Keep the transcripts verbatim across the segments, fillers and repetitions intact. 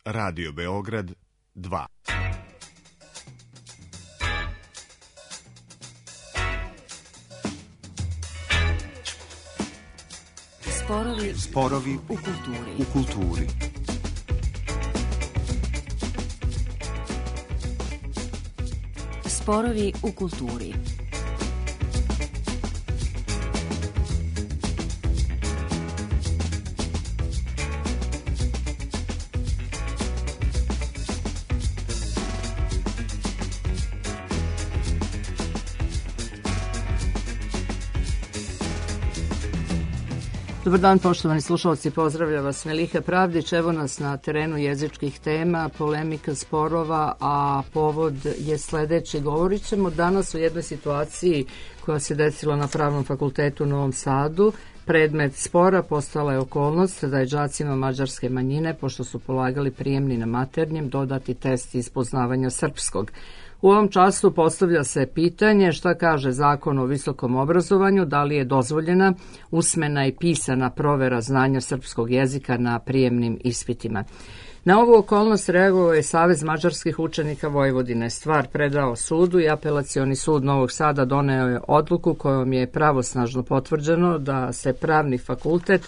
Radio Beograd dva. Sporovi, Sporovi u kulturi. U kulturi. Sporovi u kulturi. Dobar dan, poštovani slušalci, pozdravlja vas Meliha Pravdić. Evo nas na terenu jezičkih tema, polemika, sporova, a povod je sledeći. Govorit ćemo danas o jednoj situaciji koja se desila na Pravnom fakultetu u Novom Sadu. Predmet spora postala je okolnost da je đacima mađarske manjine, pošto su polagali prijemni na maternjem, dodati test iz poznavanja srpskog. U ovom času postavlja se pitanje šta kaže Zakon o visokom obrazovanju, da li je dozvoljena usmena i pisana provera znanja srpskog jezika na prijemnim ispitima. Na ovu okolnost reagovao je Savez mađarskih učenika Vojvodine. Stvar predao sudu i Apelacioni sud Novog Sada doneo je odluku kojom je pravosnažno potvrđeno da se Pravni fakultet,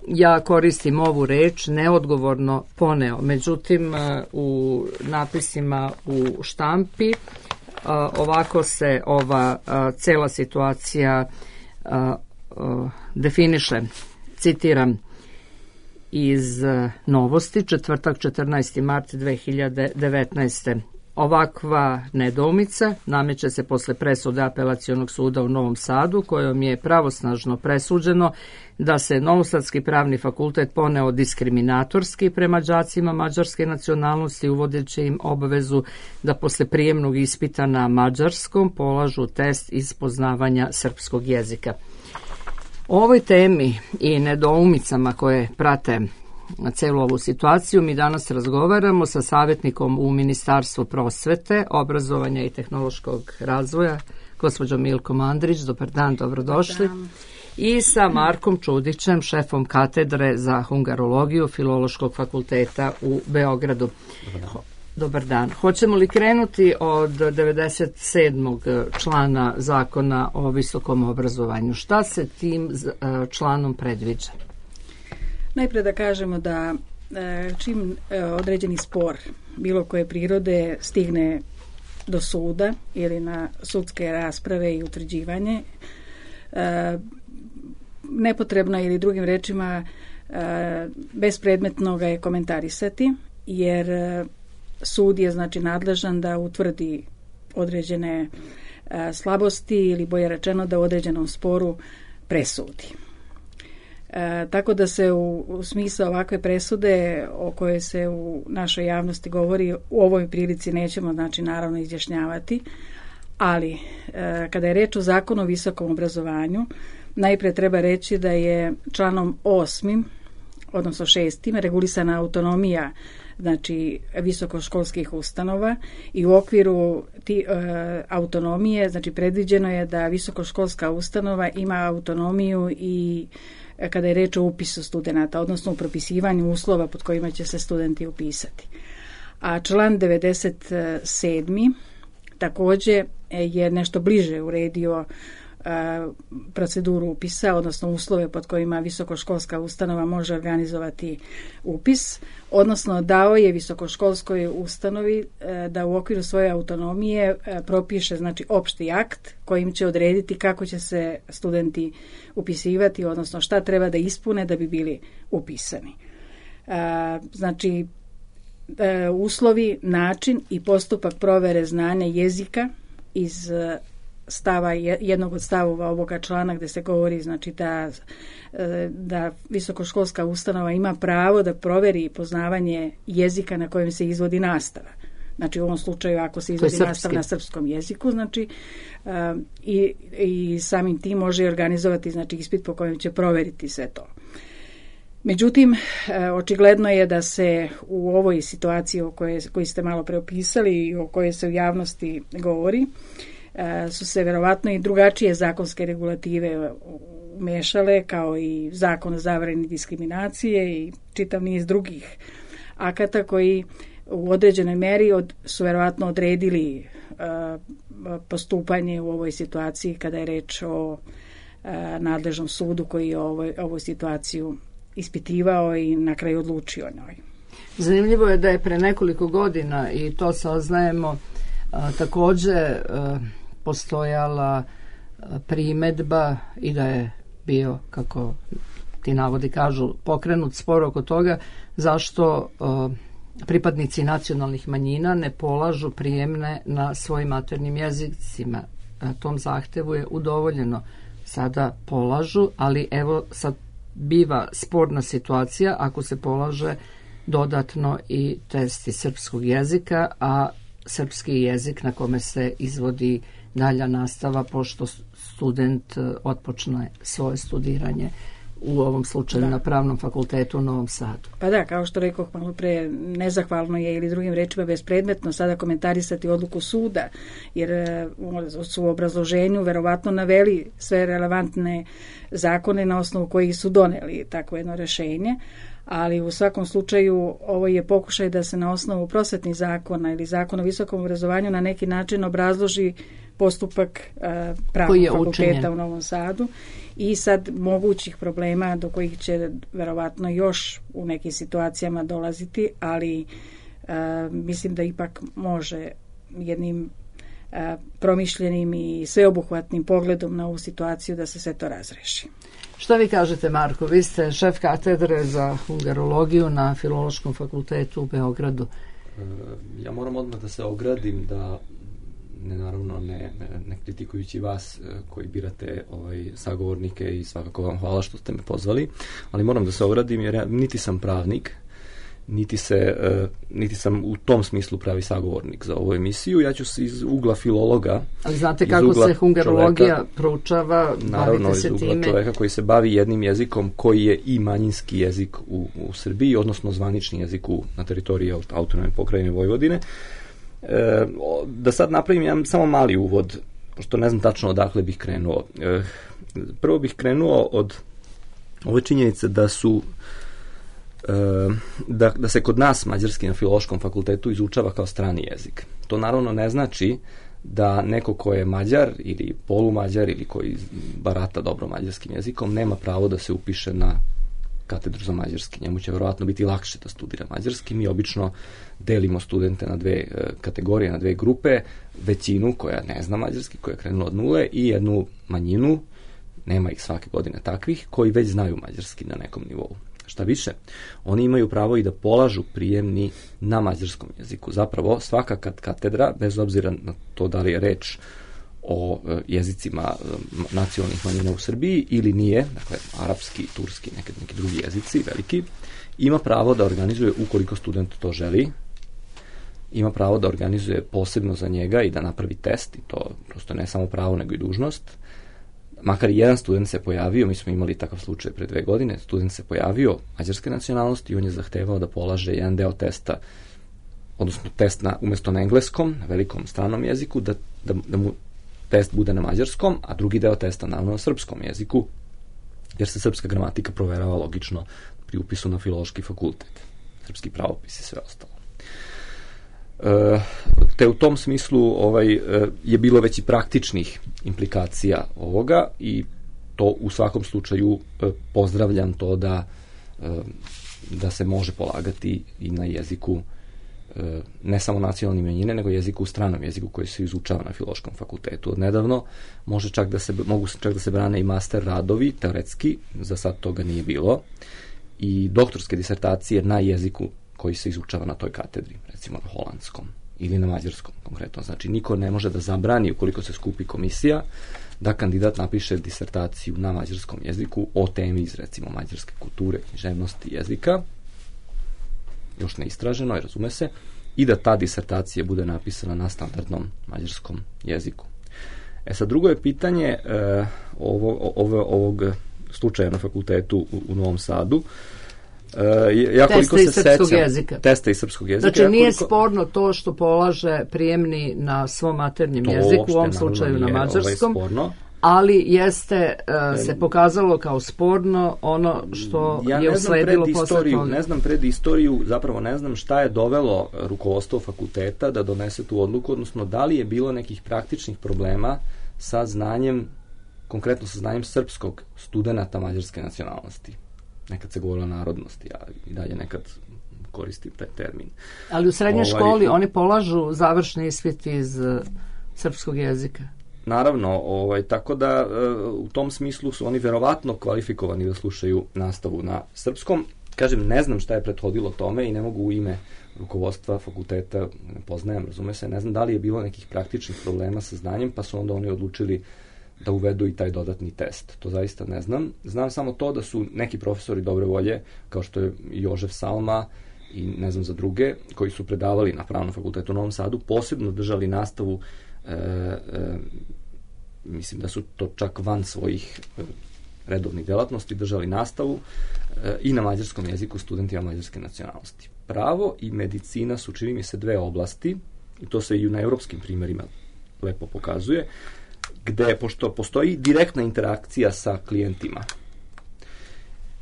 ja koristim ovu reč, neodgovorno poneo. Međutim, u napisima u štampi ovako se ova cela situacija definiše. Citiram iz Novosti, četvrtak četrnaesti mart dve hiljade devetnaeste. Ovakva nedoumica nameće se posle presude Apelacionog suda u Novom Sadu, kojom je pravosnažno presuđeno da se Novosadski pravni fakultet poneo diskriminatorski prema đacima mađarske nacionalnosti, uvodeći im obavezu da posle prijemnog ispita na mađarskom polažu test iz poznavanja srpskog jezika. O ovoj temi i nedoumicama koje prate na celu ovu situaciju mi danas razgovaramo sa savjetnikom u Ministarstvu prosvete, obrazovanja i tehnološkog razvoja, gospođom Milkom Andrić. Dobar dan, dobrodošli. Dobar dan. I sa Markom Čudićem, šefom katedre za hungarologiju Filološkog fakulteta u Beogradu. Dobar dan. Dobar dan. Hoćemo li krenuti od devedeset sedmog člana Zakona o visokom obrazovanju? Šta se tim članom predviđa? Najpre da kažemo da čim određeni spor bilo koje prirode stigne do suda ili na sudske rasprave i utvrđivanje, nepotrebno ili drugim rečima bespredmetno ga je komentarisati, jer sud je znači nadležan da utvrdi određene slabosti ili bolje rečeno da u određenom sporu presudi. E, tako da se u, u smislu ovakve presude o kojoj se u našoj javnosti govori u ovoj prilici nećemo znači naravno izjašnjavati, ali e, kada je reč o Zakonu o visokom obrazovanju, najpre treba reći da je članom osmim, odnosno šestim, regulisana autonomija znači visokoškolskih ustanova i u okviru ti, e, autonomije znači predviđeno je da visokoškolska ustanova ima autonomiju i kada je reč o upisu studenata, odnosno u propisivanju uslova pod kojima će se studenti upisati. A član devedeset sedmi takođe je nešto bliže uredio proceduru upisa, odnosno uslove pod kojima visokoškolska ustanova može organizovati upis, odnosno dao je visokoškolskoj ustanovi da u okviru svoje autonomije propiše znači opšti akt kojim će odrediti kako će se studenti upisivati, odnosno šta treba da ispune da bi bili upisani. Znači, uslovi, način i postupak provere znanja jezika iz stava, jednog od stavova ovoga člana gde se govori znači da, da visokoškolska ustanova ima pravo da proveri poznavanje jezika na kojem se izvodi nastava. Znači u ovom slučaju ako se izvodi nastava na srpskom jeziku, znači um, i, i samim tim može organizovati znači ispit po kojem će proveriti sve to. Međutim, očigledno je da se u ovoj situaciji o kojoj, koju ste malo preopisali i o kojoj se u javnosti govori, su se verovatno i drugačije zakonske regulative umešale, kao i zakon o zabrani diskriminacije i čitav niz drugih akata koji u određenoj meri od, su verovatno odredili uh, postupanje u ovoj situaciji kada je reč o uh, nadležnom sudu koji je ovoj, ovu situaciju ispitivao i na kraju odlučio o njoj. Zanimljivo je da je pre nekoliko godina, i to saznajemo, a, takođe a, postojala a, primedba i da je bio, kako ti navodi kažu, pokrenut spor oko toga zašto a, pripadnici nacionalnih manjina ne polažu prijemne na svojim maternjim jezicima. A, tom zahtevu je udovoljeno. Sada polažu, ali evo sad biva sporna situacija ako se polaže dodatno i testi srpskog jezika, a srpski jezik na kome se izvodi dalja nastava pošto student otpočne svoje studiranje u ovom slučaju da. Na Pravnom fakultetu u Novom Sadu. Pa da, kao što rekoh malo pre, nezahvalno je ili drugim rečima bespredmetno sada komentarisati odluku suda, jer su u obrazloženju verovatno naveli sve relevantne zakone na osnovu kojih su doneli takvo jedno rešenje, ali u svakom slučaju ovo je pokušaj da se na osnovu prosvetnih zakona ili zakona o visokom obrazovanju na neki način obrazloži postupak uh, Pravnog fakulteta učinjen u Novom Sadu i sad mogućih problema do kojih će verovatno još u nekim situacijama dolaziti, ali uh, mislim da ipak može jednim uh, promišljenim i sveobuhvatnim pogledom na ovu situaciju da se sve to razreši. Šta vi kažete, Marko? Vi ste šef katedre za hungarologiju na Filološkom fakultetu u Beogradu. Ja moram odmah da se ogradim da ne, naravno ne, ne kritikujući vas koji birate ovaj, sagovornike i svakako vam hvala što ste me pozvali, ali moram da se ogradim jer ja niti sam pravnik, niti, se, uh, niti sam u tom smislu pravi sagovornik za ovu emisiju. Ja ću se iz ugla filologa... Ali znate kako se hungarologija čoveka, proučava, naravno, bavite se time? Naravno, iz ugla čoveka koji se bavi jednim jezikom koji je i manjinski jezik u, u Srbiji, odnosno zvanični jezik u, na teritoriji autonomne pokrajine Vojvodine. E, da sad napravim jedan samo mali uvod, pošto ne znam tačno odakle bih krenuo. E, prvo bih krenuo od ove činjenice da su Da, da se kod nas mađarski na Filološkom fakultetu izučava kao strani jezik. To naravno ne znači da neko ko je Mađar ili polumađar ili koji barata dobro mađarskim jezikom nema pravo da se upiše na katedru za mađarski. Njemu će verovatno biti lakše da studira mađarski. Mi obično delimo studente na dve kategorije, na dve grupe, većinu koja ne zna mađarski, koja je krenula od nule i jednu manjinu, nema ih svake godine takvih, koji već znaju mađarski na nekom nivou. Šta više, oni imaju pravo i da polažu prijemni na mađarskom jeziku. Zapravo, svaka katedra, bez obzira na to da li je reč o jezicima nacionalnih manjina u Srbiji ili nije, dakle, arapski, turski, neki, neki drugi jezici, veliki, ima pravo da organizuje, ukoliko student to želi, ima pravo da organizuje posebno za njega i da napravi test, i to prosto ne samo pravo, nego i dužnost. Makar i jedan student se pojavio, mi smo imali takav slučaj pre dve godine, student se pojavio mađarske nacionalnosti i on je zahtevao da polaže jedan deo testa, odnosno test na, umjesto na engleskom, na velikom stranom jeziku, da, da, da mu test bude na mađarskom, a drugi deo testa naravno na srpskom jeziku, jer se srpska gramatika proverava logično pri upisu na Filološki fakultet. Srpski pravopis i sve ostalo. E, te u tom smislu ovaj, je bilo već i praktičnih implikacija ovoga i to u svakom slučaju pozdravljam to da, da se može polagati i na jeziku ne samo nacionalne manjine, nego jeziku u stranom jeziku koji se izučava na Filološkom fakultetu. Od nedavno može čak da se, mogu čak da se brane i master radovi, teoretski, za sad toga nije bilo, i doktorske disertacije na jeziku koji se izučava na toj katedri, recimo na holandskom ili na mađarskom konkretno. Znači, niko ne može da zabrani, ukoliko se skupi komisija, da kandidat napiše disertaciju na mađarskom jeziku o temi iz, recimo, mađarske kulture, književnosti, jezika, još ne istraženo, razume se, i da ta disertacija bude napisana na standardnom mađarskom jeziku. E sad, drugo je pitanje e, ovo, ovo, ovog slučaja na fakultetu u, u Novom Sadu. Uh, ja testa se iz srpskog sećam, jezika. Testa iz srpskog jezika. Znači, ja nije koliko... sporno to što polaže prijemni na svom maternjem jeziku, u ovom slučaju na mađarskom, ovaj ali jeste uh, se pokazalo kao sporno ono što ja je usledilo posle toga. Ne znam pred istoriju, zapravo ne znam šta je dovelo rukovodstvo fakulteta da donese tu odluku, odnosno da li je bilo nekih praktičnih problema sa znanjem, konkretno sa znanjem srpskog studenata mađarske nacionalnosti. Nekad se govorilo o narodnosti, a i dalje nekad koristim taj termin. Ali u srednjoj ovaj, školi oni polažu završni ispit iz uh, srpskog jezika. Naravno, ovaj, tako da u tom smislu su oni verovatno kvalifikovani da slušaju nastavu na srpskom. Kažem, ne znam šta je prethodilo tome i ne mogu u ime rukovodstva fakulteta, ne poznajem, razume se, ne znam da li je bilo nekih praktičnih problema sa znanjem, pa su onda oni odlučili da uvedu i taj dodatni test. To zaista ne znam. Znam samo to da su neki profesori dobre volje, kao što je Jožef Salma i ne znam za druge, koji su predavali na Pravnom fakultetu u Novom Sadu, posebno držali nastavu. E, e, mislim da su to čak van svojih e, redovnih delatnosti držali nastavu e, i na mađarskom jeziku studentima mađarske nacionalnosti. Pravo i medicina su, čini mi se, dve oblasti, i to se i na evropskim primjerima lepo pokazuje, gde, pošto postoji direktna interakcija sa klijentima,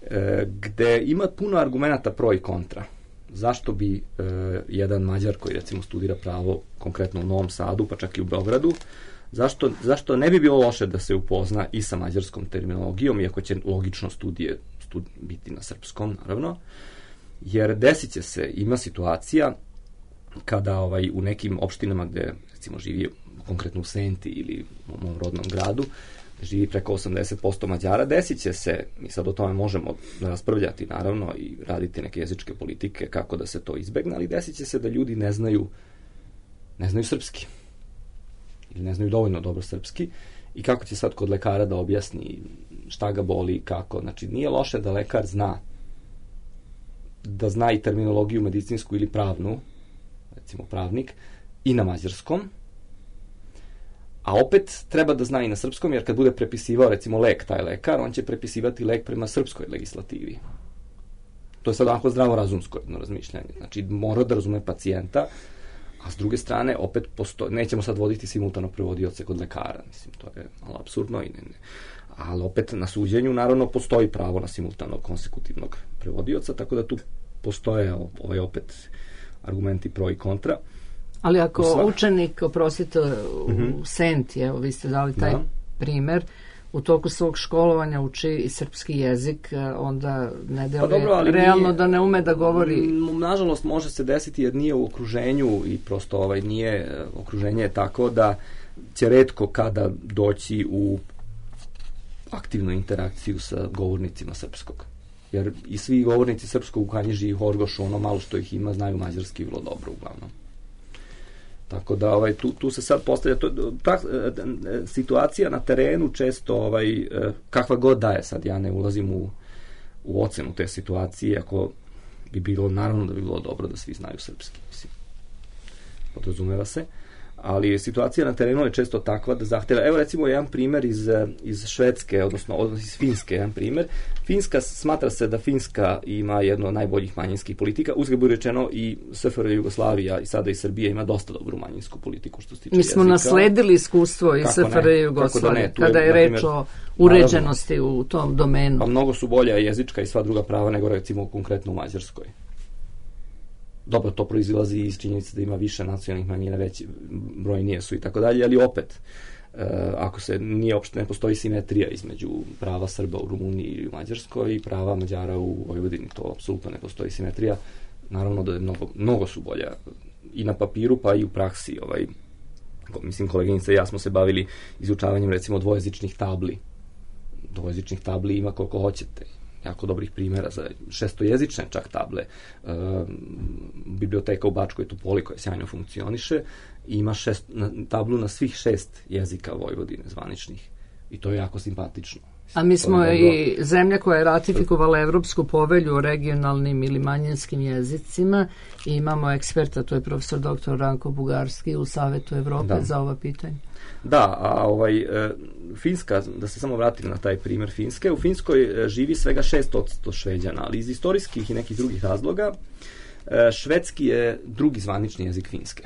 e, gde ima puno argumenata pro i kontra. Zašto bi e, jedan Mađar koji recimo studira pravo konkretno u Novom Sadu, pa čak i u Beogradu, zašto, zašto ne bi bilo loše da se upozna i sa mađarskom terminologijom, iako će logično studije stud, biti na srpskom, naravno, jer desit će se, ima situacija kada ovaj, u nekim opštinama gde recimo živi konkretno u Senti ili u mom rodnom gradu, živi preko osamdeset posto Mađara, desit će se, mi sad o tome možemo raspravljati naravno i raditi neke jezičke politike kako da se to izbegne, ali desit će se da ljudi ne znaju ne znaju srpski ili ne znaju dovoljno dobro srpski i kako će sad kod lekara da objasni šta ga boli, kako, znači nije loše da lekar zna da zna i terminologiju medicinsku ili pravnu, recimo pravnik, i na mađarskom, a opet treba da zna i na srpskom, jer kad bude prepisivao recimo lek taj lekar, on će prepisivati lek prema srpskoj legislativi. To je sad onako zdravorazumsko jedno razmišljanje. Znači mora da razume pacijenta, a s druge strane opet posto... nećemo sad voditi simultano prevodioce kod lekara, mislim, to je malo apsurdno i ne, ne. Ali opet na suđenju naravno postoji pravo na simultanog konsekutivnog prevodioca, tako da tu postoje ovaj opet argumenti pro i kontra. Ali ako Sva... učenik, oprostite, u mm-hmm. Senti, evo vi ste dali taj da. primer, u toku svog školovanja uči i srpski jezik, onda ne deluje pa dobro, realno nije, da ne ume da govori. Nažalost može se desiti jer nije u okruženju i prosto ovaj nije, okruženje je tako da će retko kada doći u aktivnu interakciju sa govornicima srpskog. Jer i svi govornici srpskog u Kanjiži i Horgošu, ono malo što ih ima, znaju mađarski vrlo dobro uglavnom. Tako da ovaj, tu, tu se sad postavlja to, ta situacija na terenu često ovaj, kakva god da je sad, ja ne ulazim u, u ocenu te situacije, ako bi bilo, naravno da bi bilo dobro da svi znaju srpski, mislim, podrazumeva se, ali situacija na terenu je često takva da zahteva, evo recimo jedan primer iz, iz Švedske, odnosno, odnosno iz Finske, jedan primer. Finska, smatra se da Finska ima jedno od najboljih manjinskih politika, uzgled bude rečeno i S F R J Jugoslavija i sada i Srbija ima dosta dobru manjinsku politiku što se tiče Mi smo jezika. Nasledili iskustvo iz S F R J Jugoslavije, da kada je, je reč o uređenosti naravno, u tom domenu. Pa mnogo su bolja jezička i sva druga prava nego recimo konkretno u Mađarskoj. Dobro, to proizilazi iz činjenice da ima više nacionalnih manjina, veći brojnije su i tako dalje, ali opet, e, ako se nije opšte, ne postoji simetrija između prava Srba u Rumuniji i u Mađarskoj i prava Mađara u Vojvodini, to apsolutno ne postoji simetrija. Naravno da je mnogo, mnogo su bolja i na papiru, pa i u praksi. Ovaj, mislim, koleginica i ja smo se bavili izučavanjem recimo dvojezičnih tabli. Dvojezičnih tabli ima koliko hoćete. Jako dobrih primjera za šestojezične čak table. E, biblioteka u Bačkoj Topoli koja sjajno funkcioniše i ima šest, na, tablu na svih šest jezika Vojvodine zvaničnih i to je jako simpatično. A mi smo i zemlja koja je ratifikovala Evropsku povelju o regionalnim ili manjinskim jezicima i imamo eksperta, to je profesor doktor Ranko Bugarski u Savetu Evrope da. za ova pitanja. Da, a ovaj, e, Finska, da se samo vratim na taj primjer Finske, u Finskoj živi svega šest posto Šveđana, ali iz istorijskih i nekih drugih razloga e, švedski je drugi zvanični jezik Finske.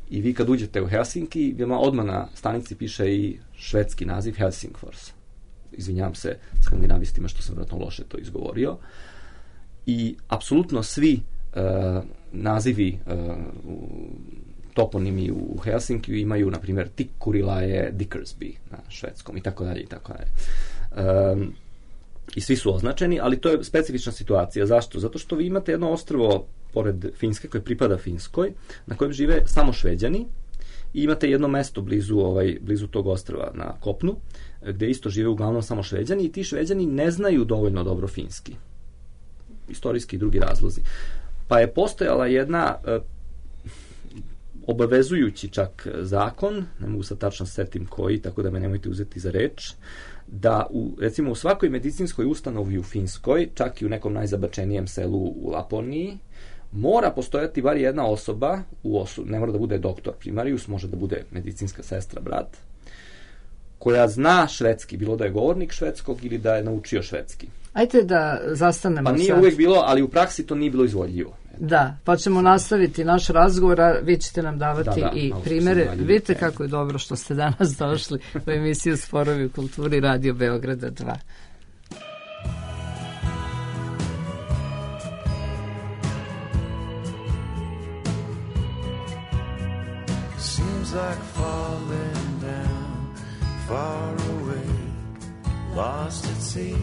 I vi kad uđete u Helsinki, vama odmah na stanici piše i švedski naziv Helsingfors. Izvinjam se skandinavistima što sam vjerojatno loše to izgovorio. I apsolutno svi uh, nazivi, uh, toponimi u Helsinkiju imaju, na primjer, Tikkurila je Dickersby na švedskom i tako dalje i tako dalje. Um, I svi su označeni, ali to je specifična situacija. Zašto? Zato što vi imate jedno ostrvo pored Finske koje pripada Finskoj, na kojem žive samo Šveđani, i imate jedno mesto blizu, ovaj, blizu tog ostrva na kopnu, gde isto žive uglavnom samo Šveđani, i ti Šveđani ne znaju dovoljno dobro finski. Istorijski i drugi razlozi. Pa je postojala jedna e, obavezujući čak zakon, ne mogu sad tačno setim koji, tako da me nemojte uzeti za reč, da u, recimo u svakoj medicinskoj ustanovi u Finskoj, čak i u nekom najzabačenijem selu u Laponiji, mora postojati bar jedna osoba, u osu, ne mora da bude doktor primarius, može da bude medicinska sestra, brat, koja zna švedski, bilo da je govornik švedskog ili da je naučio švedski. Ajde da zastanemo sad. Pa nije sad uvijek bilo, ali u praksi to nije bilo izvodljivo. Da, pa ćemo nastaviti naš razgovor, a vi ćete nam davati da, da, i primere. Vidite kako je dobro što ste danas došli u emisiju Sporovi u kulturi Radio Beograda dva. Seems like falling down, far away, lost at sea,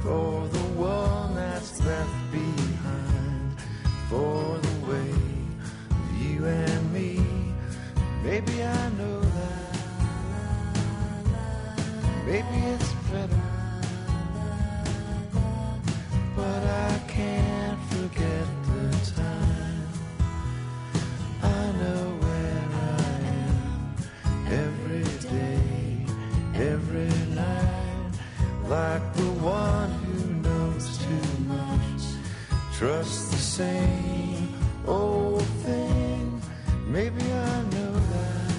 for the one that's left behind, for the way of you and me. Maybe I know that, maybe it's better, but I can't forget the time. I know where I am every day, every night, like the one who knows too much, trusts the same old thing. Maybe I know that,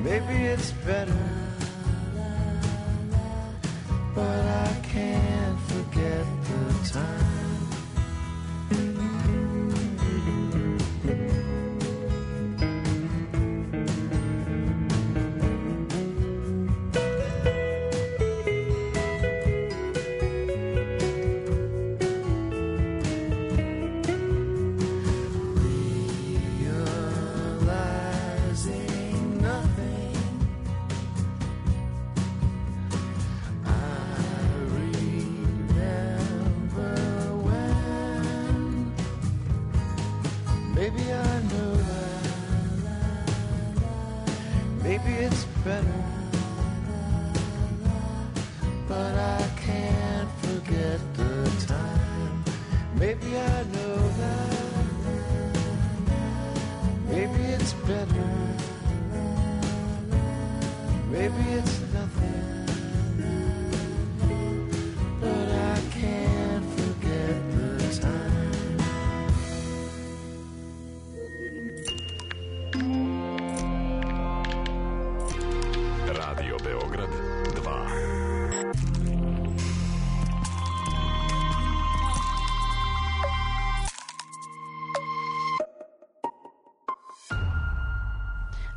maybe it's better, but I can't forget the time.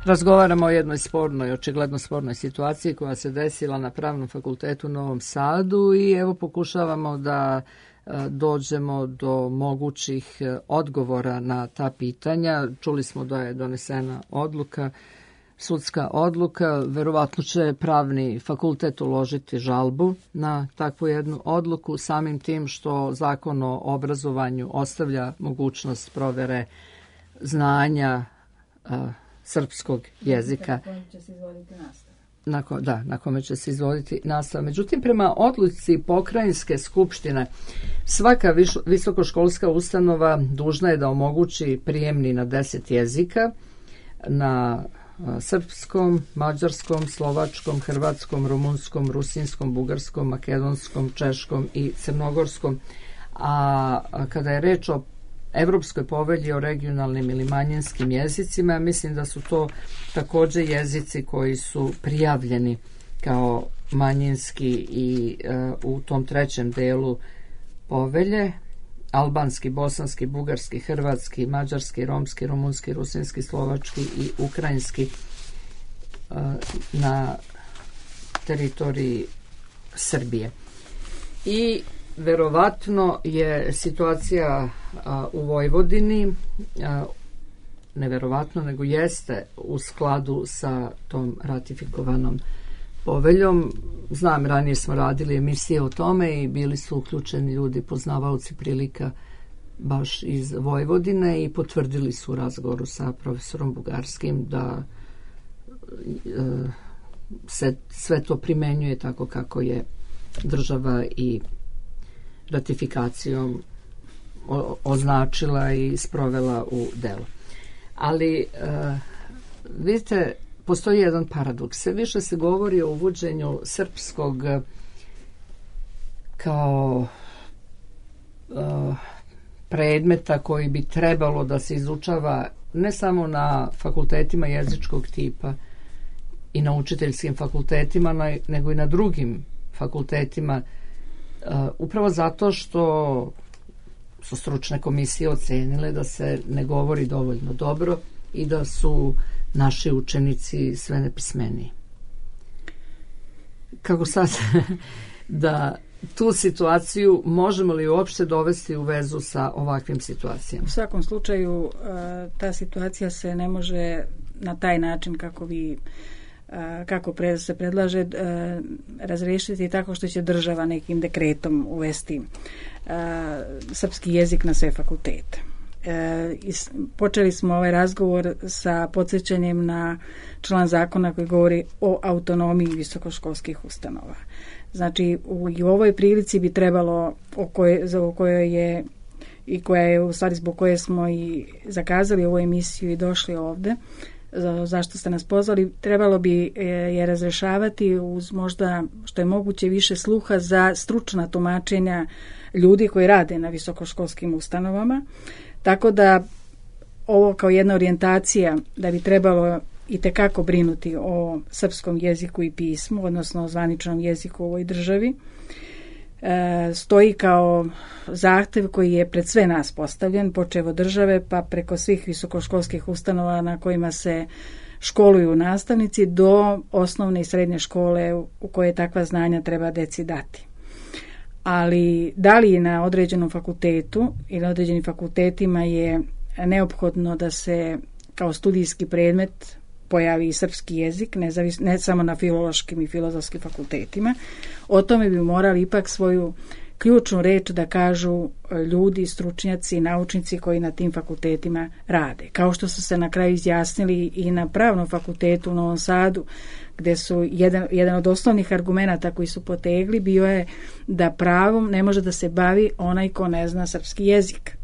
Razgovaramo o jednoj spornoj, očigledno spornoj situaciji koja se desila na Pravnom fakultetu u Novom Sadu i evo pokušavamo da dođemo do mogućih odgovora na ta pitanja. Čuli smo da je donesena odluka, sudska odluka, verovatno će Pravni fakultet uložiti žalbu na takvu jednu odluku, samim tim što Zakon o obrazovanju ostavlja mogućnost provere znanja srpskog jezika. Na kome će se izvoditi nastava. Na ko, da, na kome će se izvoditi nastava. Međutim, prema odluci Pokrajinske skupštine, svaka viš, visokoškolska ustanova dužna je da omogući prijemni na deset jezika, na a, srpskom, mađarskom, slovačkom, hrvatskom, rumunskom, rusinskom, bugarskom, makedonskom, češkom i crnogorskom. A, a kada je reč o Evropskoj povelji o regionalnim ili manjinskim jezicima, mislim da su to također jezici koji su prijavljeni kao manjinski i uh, u tom trećem delu povelje albanski, bosanski, bugarski, hrvatski, mađarski, romski, rumunski, rusinski, slovački i ukrajinski na teritoriji Srbije. I verovatno je situacija a, u Vojvodini, a, neverovatno, nego jeste u skladu sa tom ratifikovanom poveljom. Znam, ranije smo radili emisije o tome i bili su uključeni ljudi, poznavaoci prilika baš iz Vojvodine i potvrdili su u razgovoru sa profesorom Bugarskim da e, se sve to primenjuje tako kako je država i ratifikacijom o, označila i sprovela u delo. Ali e, vidite, postoji jedan paradoks. Sve više se govori o uvođenju srpskog kao e, predmeta koji bi trebalo da se izučava ne samo na fakultetima jezičkog tipa i na učiteljskim fakultetima, nego i na drugim fakultetima, upravo zato što su stručne komisije ocenile da se ne govori dovoljno dobro i da su naši učenici sve nepismeniji. Kako sad da tu situaciju možemo li uopšte dovesti u vezu sa ovakvim situacijama? U svakom slučaju ta situacija se ne može na taj način kako vi kako se predlaže razrešiti tako što će država nekim dekretom uvesti srpski jezik na sve fakultete. Počeli smo ovaj razgovor sa podsjećanjem na član zakona koji govori o autonomiji visokoškolskih ustanova. Znači, u, i u ovoj prilici bi trebalo, o kojoj, za o kojoj je i koja je u stvari zbog koje smo i zakazali ovu emisiju i došli ovde, za, zašto ste nas pozvali, trebalo bi e, je razrešavati uz možda što je moguće više sluha za stručna tumačenja ljudi koji rade na visokoškolskim ustanovama. Tako da ovo kao jedna orijentacija da bi trebalo i tekako brinuti o srpskom jeziku i pismu, odnosno o zvaničnom jeziku u ovoj državi, e, stoji kao zahtev koji je pred sve nas postavljen, počev od države pa preko svih visokoškolskih ustanova na kojima se školuju nastavnici do osnovne i srednje škole u koje takva znanja treba deci dati. Ali da li na određenom fakultetu ili na određenim fakultetima je neophodno da se kao studijski predmet pojavi i srpski jezik, ne, zavis, ne samo na filološkim i filozofskim fakultetima, o tome bi morali ipak svoju ključnu reč da kažu ljudi, stručnjaci, naučnici koji na tim fakultetima rade. Kao što su se na kraju izjasnili i na Pravnom fakultetu u Novom Sadu, gde su jedan, jedan od osnovnih argumenata koji su potegli bio je da pravom ne može da se bavi onaj ko ne zna srpski jezik.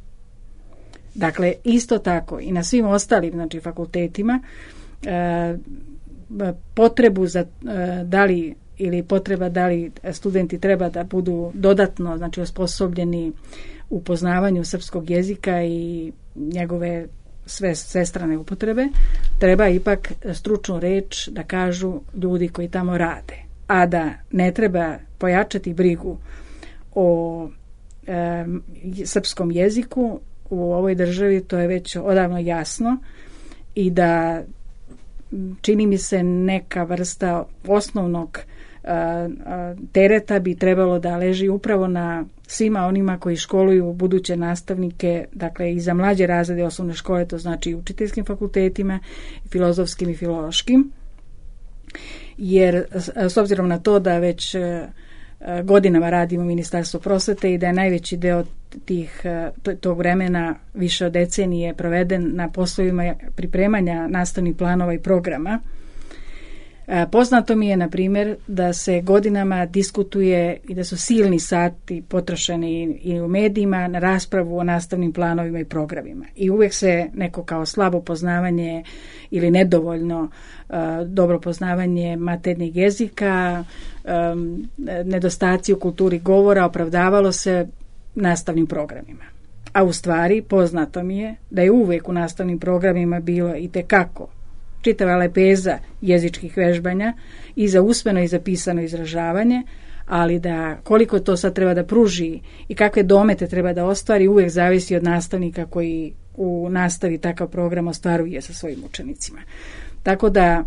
Dakle, isto tako i na svim ostalim, znači, fakultetima e, potrebu za e, da li ili potreba da li studenti treba da budu dodatno, znači, osposobljeni u poznavanju srpskog jezika i njegove sve, sve strane upotrebe, treba ipak stručnu reč da kažu ljudi koji tamo rade. A da ne treba pojačati brigu o e, srpskom jeziku u ovoj državi, to je već odavno jasno, i da čini mi se neka vrsta osnovnog tereta bi trebalo da leži upravo na svima onima koji školuju buduće nastavnike, dakle i za mlađe razrede osnovne škole, to znači i učiteljskim fakultetima, filozofskim i filološkim, jer s obzirom na to da već godinama radimo u Ministarstvu prosvete i da je najveći deo tih, tog vremena, više od decenije, proveden na poslovima pripremanja nastavnih planova i programa. Poznato mi je, na primjer, da se godinama diskutuje i da su silni sati potrošeni i u medijima na raspravu o nastavnim planovima i programima. I uvijek se neko kao slabo poznavanje ili nedovoljno uh, dobro poznavanje maternjeg jezika, um, nedostaci u kulturi govora opravdavalo se nastavnim programima. A u stvari poznato mi je da je uvijek u nastavnim programima bilo i tekako čitava lepeza jezičkih vežbanja i za usmeno i za pisano izražavanje, ali da koliko to sad treba da pruži i kakve domete treba da ostvari uvijek zavisi od nastavnika koji u nastavi takav program ostvaruje sa svojim učenicima. Tako da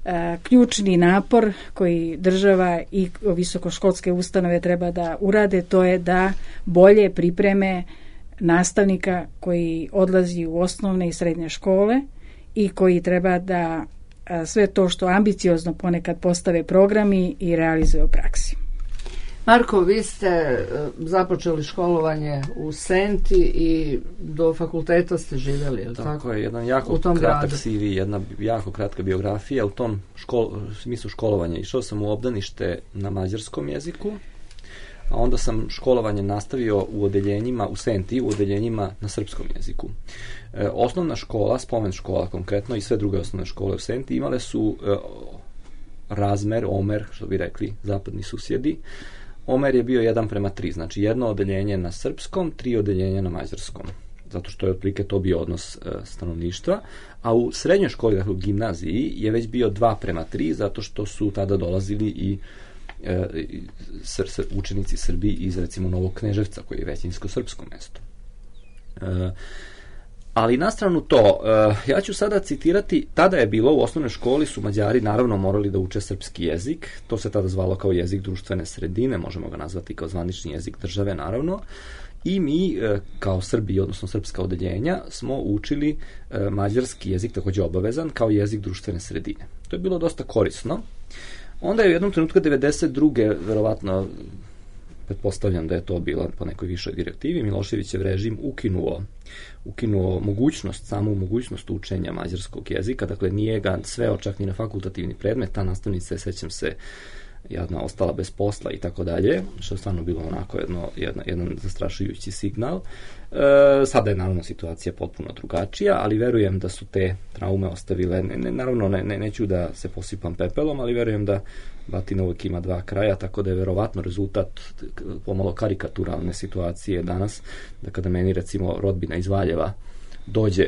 e, ključni napor koji država i visokoškolske ustanove treba da urade, to je da bolje pripreme nastavnika koji odlazi u osnovne i srednje škole i koji treba da a, sve to što ambiciozno ponekad postave programi i realizuje u praksi. Marko, vi ste započeli školovanje u Senti i do fakulteta ste živjeli, je li tako? Tako je, jedan jako kratak C V, jedna jako kratka biografija u tom škol, smislu školovanja. Išao sam u obdanište na mađarskom jeziku, a onda sam školovanje nastavio u odeljenjima, u Senti, u odeljenjima na srpskom jeziku. E, osnovna škola, spomen škola konkretno i sve druge osnovne škole u Senti imale su e, razmer, omer, što bi rekli zapadni susjedi. Omer je bio jedan prema tri, znači jedno odeljenje na srpskom, tri odeljenja na mađarskom, zato što je otprilike to bio odnos e, stanovništva, a u srednjoj školi, dakle u gimnaziji, je već bio dva prema tri, zato što su tada dolazili i e, sr, sr, učenici Srbiji iz, recimo, Novog Kneževca, koji je većinsko srpsko mesto. E, Ali na stranu to, ja ću sada citirati, tada je bilo u osnovnoj školi su Mađari naravno morali da uče srpski jezik, to se tada zvalo kao jezik društvene sredine, možemo ga nazvati kao zvanični jezik države naravno, i mi kao Srbi, odnosno srpska odeljenja, smo učili mađarski jezik takođe obavezan kao jezik društvene sredine. To je bilo dosta korisno. Onda je u jednom trenutku devedeset druge verovatno, pretpostavljam da je to bilo po nekoj višoj direktivi, Miloševićev režim ukinuo, ukinuo mogućnost, samu mogućnost učenja mađarskog jezika, dakle nije ga sveo čak ni na fakultativni predmet, ta nastavnica je, sećam se, jedna ostala bez posla i tako dalje, što je stvarno bilo onako jedno, jedna, jedan zastrašujući signal. E, sada je naravno situacija potpuno drugačija, ali verujem da su te traume ostavile, ne, ne, naravno ne, ne, neću da se posipam pepelom, ali verujem da batina uvijek ima dva kraja, tako da je verovatno rezultat pomalo karikaturalne situacije danas, da kada meni recimo rodbina iz Valjeva dođe,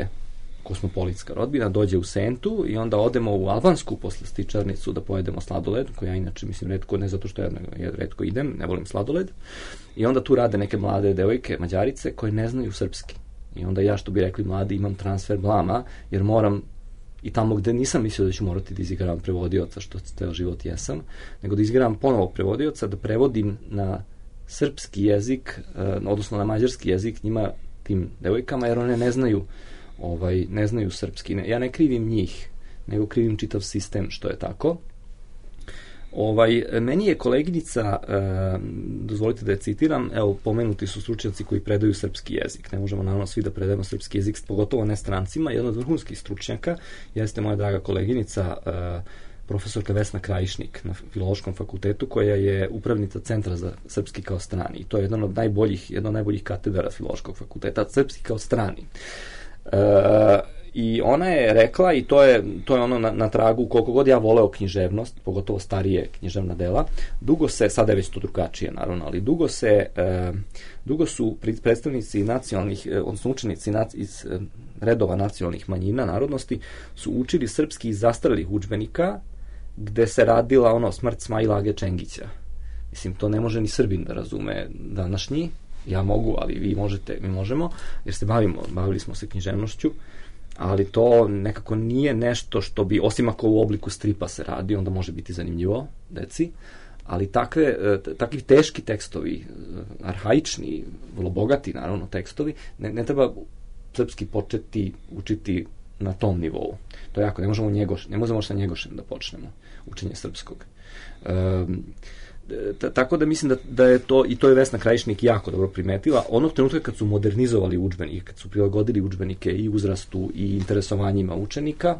kosmopolitska rodbina, dođe u Sentu i onda odemo u albansku posle stičarnicu da pojedemo sladoled, koji ja inače mislim retko, ne zato što ja, ja retko idem, ne volim sladoled, i onda tu rade neke mlade devojke, Mađarice, koje ne znaju srpski. I onda ja, što bi rekli mladi, imam transfer blama, jer moram i tamo gde nisam mislio da ću morati da izigram prevodioca, što ceo život jesam, nego da izigram ponovog prevodioca, da prevodim na srpski jezik, odnosno na mađarski jezik njima, tim devojkama, jer one ne znaju ovaj, ne znaju srpski. Ja ne krivim njih, nego krivim čitav sistem što je tako. Ovaj, meni je koleginica, e, dozvolite da je citiram, evo, pomenuti su stručnjaci koji predaju srpski jezik. Ne možemo naravno svi da predajemo srpski jezik, pogotovo ne strancima. Jedna od vrhunskih stručnjaka jeste moja draga koleginica, e, profesorka Vesna Krajišnik na Filološkom fakultetu, koja je upravnica Centra za srpski kao strani. I to je jedan od najboljih, jedna od najboljih katedara Filološkog fakulteta, srpski kao strani. E, i ona je rekla, i to je, to je ono na, na tragu, koliko god ja voleo književnost, pogotovo starije književna dela, dugo se, sada je već to drugačije naravno, ali dugo se e, dugo su predstavnici nacionalnih, odnosno učenici nac, iz redova nacionalnih manjina, narodnosti, su učili srpski iz zastarelih udžbenika, gde se radila ono smrt Smajla Age Čengića. Mislim, to ne može ni Srbin da razume današnji. Ja mogu, ali vi možete, mi možemo, jer se bavimo, bavili smo se književnošću, ali to nekako nije nešto što bi, osim ako u obliku stripa se radi, onda može biti zanimljivo deci, ali takve, takvi teški tekstovi, arhaični, vrlo bogati naravno tekstovi, ne, ne treba srpski početi učiti na tom nivou. To je jako, ne možemo njegoš, ne možemo sa Njegošem da počnemo učenje srpskog. Um, tako da mislim da, da je to, i to je Vesna Krajišnik jako dobro primetila, onog trenutka kad su modernizovali udžbenike, kad su prilagodili udžbenike i uzrastu i interesovanjima učenika,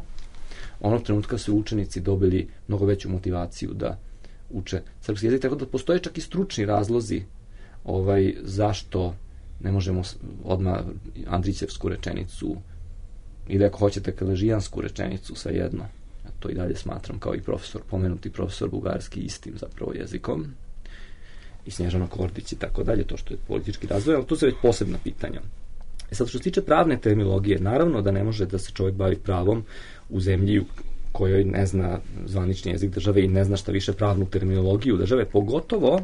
onog trenutka su učenici dobili mnogo veću motivaciju da uče srpski jezik, tako da postoje čak i stručni razlozi ovaj, zašto ne možemo odmah Andrićevsku rečenicu ili ako hoćete kaležijansku rečenicu, svejedno. To i dalje smatram kao i profesor, pomenuti profesor bugarski istim zapravo jezikom, i Snježana Kordić i tako dalje, to što je politički razvoj, ali to su već posebna pitanja. E sad, što se tiče pravne terminologije, naravno da ne može da se čovjek bavi pravom u zemlji kojoj ne zna zvanični jezik države i ne zna šta više pravnu terminologiju države, pogotovo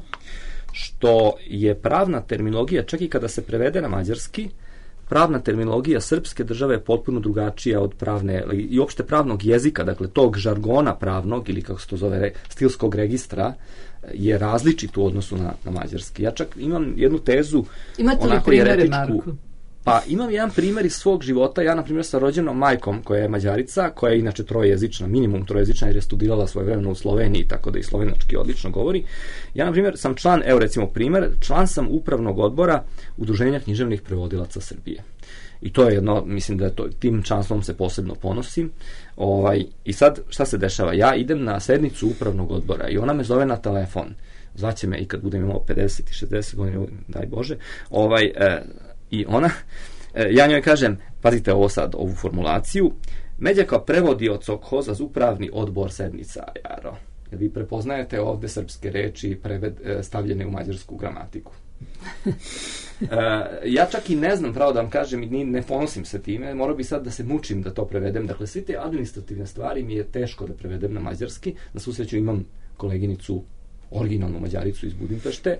što je pravna terminologija, čak i kada se prevede na mađarski, pravna terminologija srpske države je potpuno drugačija od pravne i uopšte pravnog jezika, dakle tog žargona pravnog ili kako se to zove stilskog registra je različit u odnosu na, na mađarski. Ja čak imam jednu tezu, imate li onako primere, jeretičku, Marko? Pa imam jedan primjer iz svog života. Ja, na primjer, sa rođenom majkom koja je Mađarica, koja je inače trojezična, minimum trojezična, jer je studirala svojevremeno u Sloveniji, tako da i slovenački odlično govori. Ja, na primjer, sam član, evo recimo primjer, član sam upravnog odbora Udruženja književnih prevodilaca Srbije. I to je jedno, mislim da je to, tim članstvom se posebno ponosim. Ovaj, I sad, šta se dešava? Ja idem na sednicu upravnog odbora i ona me zove na telefon. Zvaće me i kad budem imao pedeset i šezdeset godina, daj Bože, ovaj... E, I ona, ja njoj kažem, pazite ovo sad, ovu formulaciju, Međa kao prevodioc okhoza z upravni odbor sednica, Jaro. Jer vi prepoznajete ovde srpske reči preved, stavljene u mađarsku gramatiku. Ja čak i ne znam, pravo da vam kažem, i ne ponosim se time, morao bi sad da se mučim da to prevedem. Dakle, sve te administrativne stvari mi je teško da prevedem na mađarski. Na svu sreću imam koleginicu, originalnu Mađaricu iz Budimpešte,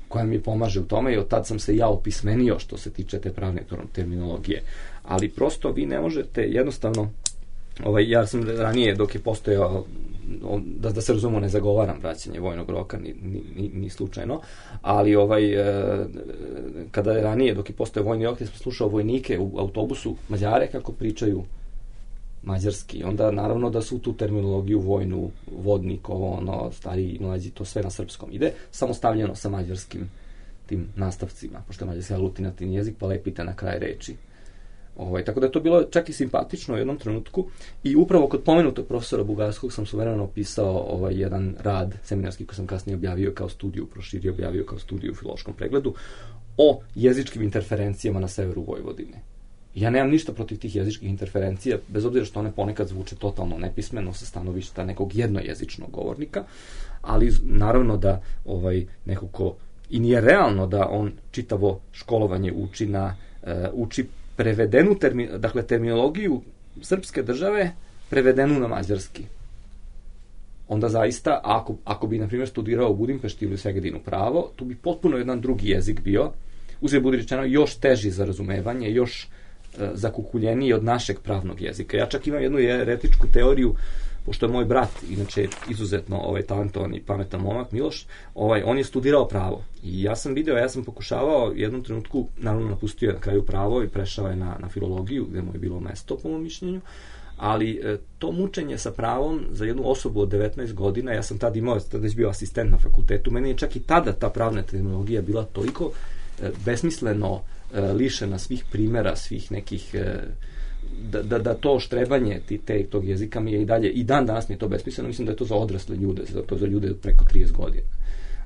koja mi pomaže u tome i od tad sam se ja opismenio što se tiče te pravne terminologije. Ali prosto vi ne možete jednostavno, ovaj, ja sam ranije dok je postojao, da, da se razumemo, ne zagovaram vraćanje vojnog roka ni, ni, ni slučajno, ali ovaj, kada je ranije dok je postojao vojni rok, ja sam slušao vojnike u autobusu Mađare kako pričaju mađarski. Onda naravno da su tu terminologiju vojnu, vodnik, ovo, ono, stariji i mlađi, to sve na srpskom ide, samo stavljeno sa mađarskim tim nastavcima, pošto je mađarski aglutinativni jezik, pa lepite na kraj reči. Ovaj, tako da je to bilo čak i simpatično u jednom trenutku i upravo kod pomenutog profesora bugarskog sam suvereno pisao ovaj, jedan rad seminarski koji sam kasnije objavio kao studiju, proširio objavio kao studiju u filološkom pregledu o jezičkim interferencijama na severu Vojvodine. Ja nemam ništa protiv tih jezičkih interferencija, bez obzira što one ponekad zvuče totalno nepismeno sa stanovišta nekog jednojezičnog govornika, ali naravno da ovaj, neko ko i nije realno da on čitavo školovanje uči na uh, uči prevedenu termi, dakle terminologiju srpske države prevedenu na mađarski. Onda zaista, ako, ako bi, na primjer, studirao u Budimpešti ili u Segedinu pravo, tu bi potpuno jedan drugi jezik bio, uzgled budi rečeno, još teži za razumevanje, još e, zakukuljeniji od našeg pravnog jezika. Ja čak imam jednu jeretičku teoriju, pošto je moj brat, inače izuzetno ovaj, talentovan i pametan momak, Miloš, ovaj, on je studirao pravo. I ja sam video, ja sam pokušavao u jednom trenutku, naravno napustio je na kraju pravo i prešao je na, na filologiju, gde mu je bilo mesto, po mom mišljenju, ali e, to mučenje sa pravom za jednu osobu od devetnaest godina, ja sam tad imao, tada već bio asistent na fakultetu, meni je čak i tada ta pravna terminologija bila toliko e, besmisleno e, lišena svih primjera, svih nekih... E, Da, da, da to štrebanje ti, te, tog jezika mi je i dalje, i dan danas mi je to besmisleno, mislim da je to za odrasle ljude, za to za ljude preko trideset godina.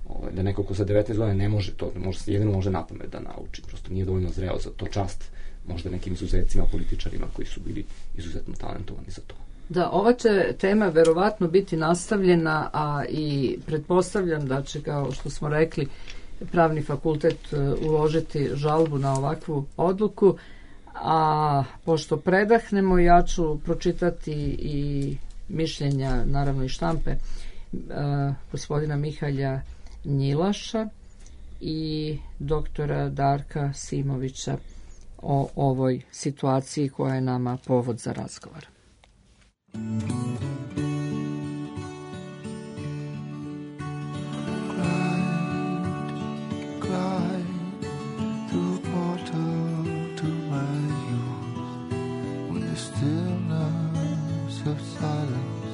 O, da neko ko sa devetnaest godina ne može to, može, jedino može napamet da nauči, prosto nije dovoljno zreo za to, čast možda nekim izuzecima, političarima koji su bili izuzetno talentovani za to. Da, ova će tema verovatno biti nastavljena, a i pretpostavljam da će, kao što smo rekli, pravni fakultet uložiti žalbu na ovakvu odluku. A pošto predahnemo, ja ću pročitati i mišljenja, naravno i štampe, uh, gospodina Mihalja Njilaša i doktora Darka Simovića o ovoj situaciji koja je nama povod za razgovor. Of silence,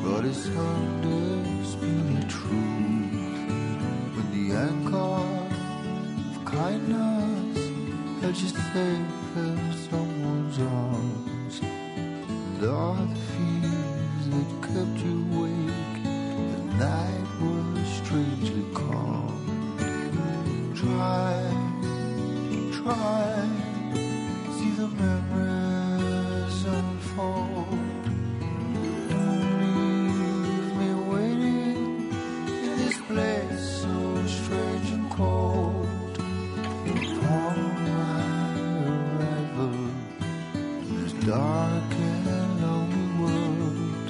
but it's undisputed truth. When the anchor of kindness held you safe in someone's arms, and all the fears that kept you awake, the night was strangely calm. Try, try, see the memories unfold. Place so strange and cold. Upon my arrival in this dark and lonely world,